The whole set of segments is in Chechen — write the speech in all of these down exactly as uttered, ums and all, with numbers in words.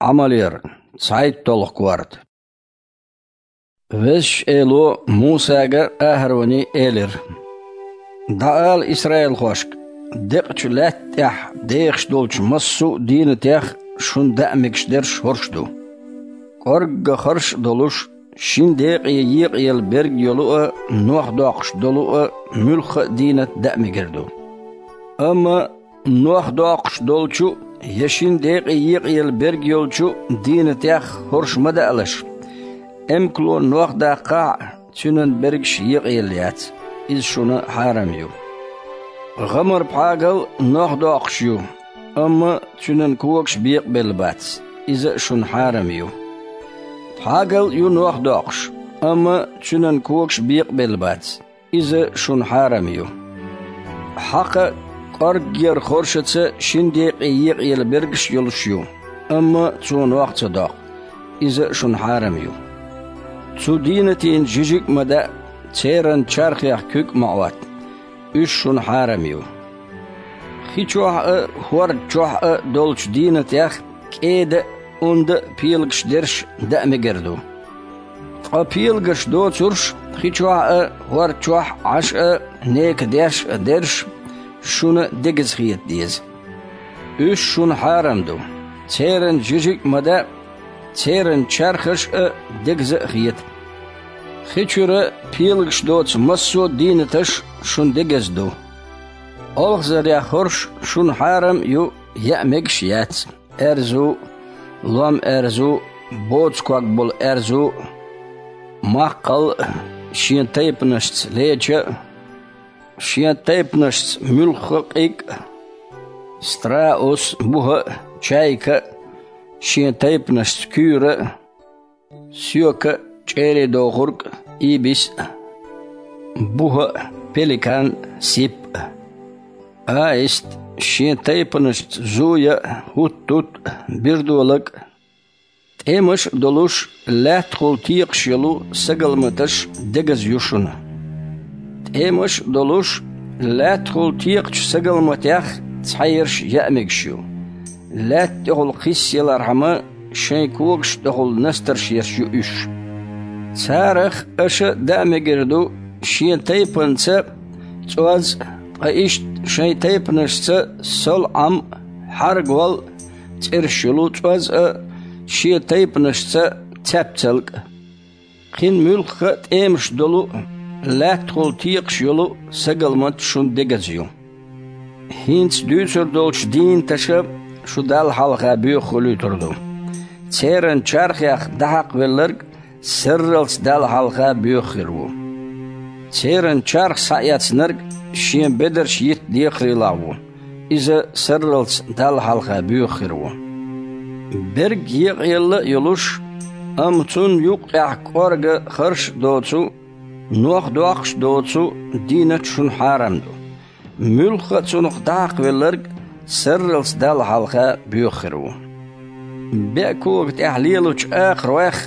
Ӏамалера цхьайтталгӀа корта. Везачу Эло Мусага а, АхӀароне а элира: «ДӀаала исраилхошка: декъачу лаьтта тӀехь дехаш долчу массо а дийнатех шуна даа мегаш дерш хӀорш ду. КӀоргга харш а долуш, шина декъе екъаелла берг йолу а, нох доккхуш долу а муьлхха а дийнат даа мегар ду. Амма нох доккхуш долчу я шина декъе екъаелла берг йолчу дийнатех хӀорш ма даалаш. Эмкало нох даккхахь а, цуьнан бергаш екъаелла яц, иза шуна хьарам ю. ГӀамар-пхьагал нох доккхуш ю, амма цуьнан когаш бекъабелла бац, иза а шуна хьарам ю. Пхьагал а ю нох доккхуш, амма цуьнан когаш бекъабелла бац, иза шуна хьарам ю. Хьакха кӀорггера хоршаца шина декъе екъаелла бергаш а йолуш ю, амма цо нох ца доккху, иза а шуна хьарам ю. Цу дийнатийн жижиг а ма даа, церан чархех куьг а ма Ӏотта, уьш шуна хьарам ю. Хи чохь а, хӀорда чохь а долчу дийнатех кӀеда а, онда а пелагаш дерш даа мегар ду. Ткъа пелагаш доцурш хи чохь а, хӀорда чохь а, Ӏаш а, нека деш а дерш шуна дегаза хета деза. Уьш шуна хьарам ду, церан жижиг а ма даа, церан чархаш а дегаза а хета. Хи чуьра пелагаш доцу массо а дийнаташ шуна дегаза ду. Олхазарех хӀорш шуна хьарам а ю, яа мегаш а яц: аьрзу а, лом аьрзу а, боцу ког болу аьрзу а, маккхал а, шен тайпанашца леча а, шен тайпанашца муьлхха а къиг а, страус, буха а, чайка а, шен тайпанашца куьйра а, соька а, чӀерий дохург а, ибис а, буха а, пеликан а, сип а, аист а, шен тайпанашца зуя а, хӀуттут а, бирдолаг а, тӀемаш а долуш, лаьттахула текхаш йолу сагалматаш дегаза ю шуна. ТӀемаш а долуш, лаьттахула текхачу сагалматех цхьаерш яа мегаш ю, лаьтта тӀехула кхиссаялархьама, шайн когаш тӀехула настарш ерш ю уьш. Царах аша даа мегар ду шен тайпанца цӀоз а, ткъа иштта шайн тайпанашца сол-Ӏам а, хьаргол а цӀераш йолу цӀоз а, шен тайпанашца цаьпцалг а. Кхин муьлхха а тӀемаш долу а, лаьттахула текхаш йолу а сагалмат шуна дегаза ю. ХӀинца дуьйцур долчу дийнаташа шу Далла хьалха боьха хуьлуьйтур ду. Церан чархех дӀахьакхавелларг сарралц Далла хьалха боьха хир ву. Церан чарх схьаэцнарг шен бедарш йитта декхарийлахь ву, иза сарралц Далла хьалха боьха хир ву. Берг екъаелла а йолуш, амма цунна юккъехь кӀорга харш а доцу, нох доккхуш а доцу дийнат шуна хьарам ду. Муьлхха а цунах дӀахьакхавелларг сарралц Далла хьалха боьха хир ву. БеӀ кога тӀехь лелачу акхаройх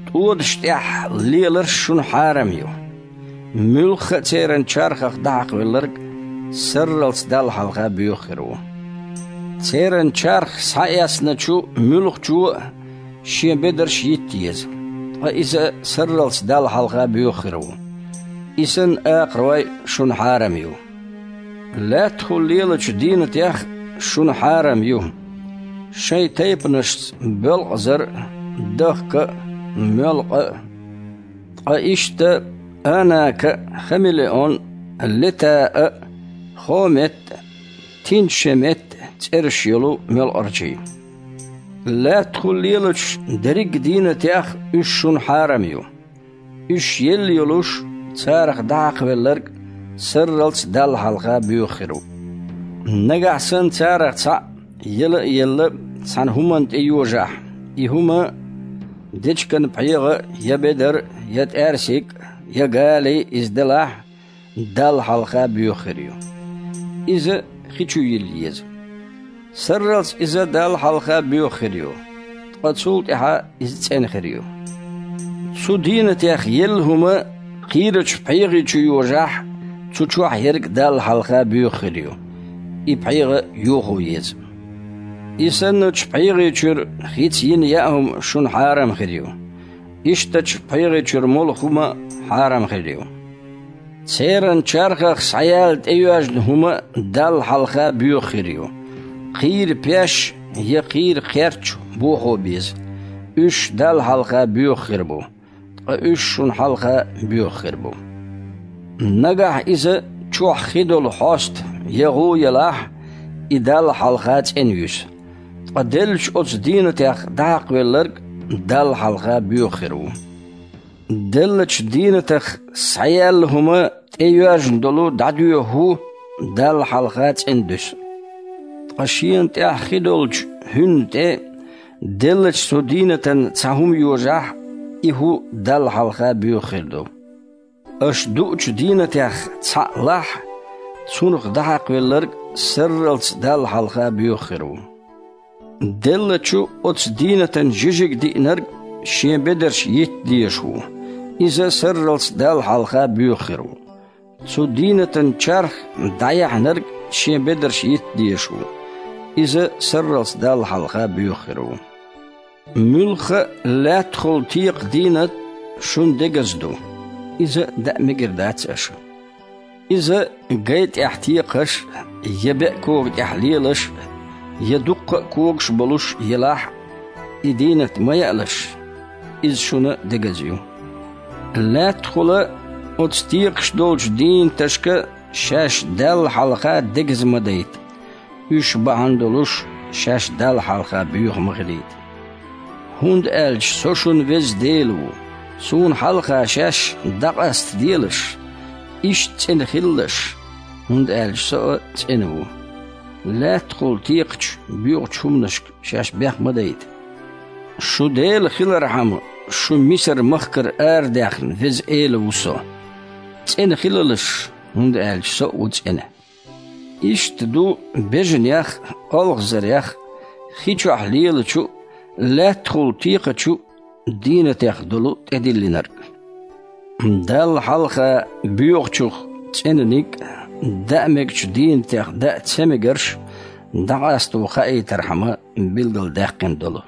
тӀодаш тӀехь леларш шуна хьарам ю. Муьлхха а церан чархах дӀахьакхавелларг сарралц Далла хьалха боьха хир ву. Церан чарх схьаэцначу муьлххачо а шен бедарш йитта еза, ткъа иза сарралц Далла хьалха боьха хир ву. И санна акхарой шуна хьарам ю. Лаьттахула лелачу дийнатех шуна хьарам ю шайн тайпанашца боьлкъазар а, дахка а, моьлкъа а, ткъа иштта анака а, хамелеон а, лета а, хомет а, тинча шемет а цӀераш йолу моьлкъарчий. Лаьттахула лелачу дерриг а дийнатех уьш шуна хьарам ю. Уьш елла йолуш, царах дӀахьакхавелларг сарралц Далла хьалха боьха хир ву. Нагахь санна царах цхьаъ, яла а елла, цхьана хӀуманна тӀе йожахь, и хӀума дечиган пхьегӀа я бедар, я тӀаьрсиг, я гали иза делахь, Далла хьалха боьха хир ю. Иза хи чу йилла еза. Сарралц иза Далла хьалха боьха хир ю, ткъа цул тӀаьхьа иза цӀена хир ю. Цу дийнатех елла хӀума кхийрачу пхьегӀи чу йожахь, цу чохь ерг Далла хьалха боьха хир ю. И пхьегӀа йохо еза. И санначу пхьегӀи чуьра хица йина яа хӀума шуна хьарам хир ю. Ишттачу пхьегӀи чуьра молу хӀума хьарам хир ю. Церан чархах схьаяьлла тӀейоьжна хӀума Далла хьалха боьха хир ю. Кхийра пеш я кхийра кхерч бохо беза. Уьш Далла хьалха боьха хир бу, ткъа уьш шуна хьалха боьха хир бу. Нагахь иза чохь хи долу хьоста я гӀу ялахь, и Далла хьалха цӀена юьсу. Ткъа деллачу оцу дийнатех дӀахьакхавелларг Далла хьалха боьха хир ву. Деллачу дийнатах схьаяьлла хӀума тӀейоьжна долу дӀадоьху хӀу Далла хьалха цӀена дуьсу. Ткъа шена тӀехь хи долчу хӀуьнна тӀе деллачу цу дийнатан цхьа хӀума йожахь, и хӀу Далла хьалха боьха хир ду. Аша дуучу дийнатех цхьаъ лахь, цунах дӀахьакхавелларг сарралц Далла хьалха боьха хир ву. Деллачу оцу дийнатан жижиг диънарг шен бедарш йитта дезаш ву, иза сарралц Далла хьалха боьха хир ву. Цу дийнатан чарх дӀаяьхьнарг шен бедарш йитта дезаш ву, иза сарралц Далла хьалха боьха хир ву. Муьлхха а лаьттахула текха дийнат шуна дегаза ду, иза даа мегар дац аша. Иза гай тӀехь текхаш, я беа кога тӀехь лелаш, я дуккха а когаш болуш елахь а, и дийнат ма яалаш, иза шуна дегаза ю. Лаьттахула оцу текхаш долчу дийнаташка шаьш Далла хьалха дегаза ма дайта, уьш бахьана долуш шаьш Далла хьалха боьха ма хилийта. ХӀунда аьлча Со шун Веза Дела ву, Суна хьалха шаьш дӀакъаста делаш, иштта цӀена хилалаш, хӀунда аьлча Со а цӀена ву. Лаьттахула текхачу боьхачу хӀуманашка шаьш бех ма дайта. Шун Дела хилархьама, шу Мисар-махкара арадаьхна Веза Эла ву Со. ЦӀена хилалаш, хӀунда аьлча Со а ву цӀена. Иштта ду бежанех а, олхазарех а, хи чохь лелачу а, лаьттахула текхачу а дийнатех долу тӀедиллинарг. Далла хьалха боьхачух цӀенаниг а, даа мегачу дийнатех даа ца мегарш дӀакъасто хаийтархьама билгалдаьккхина долу.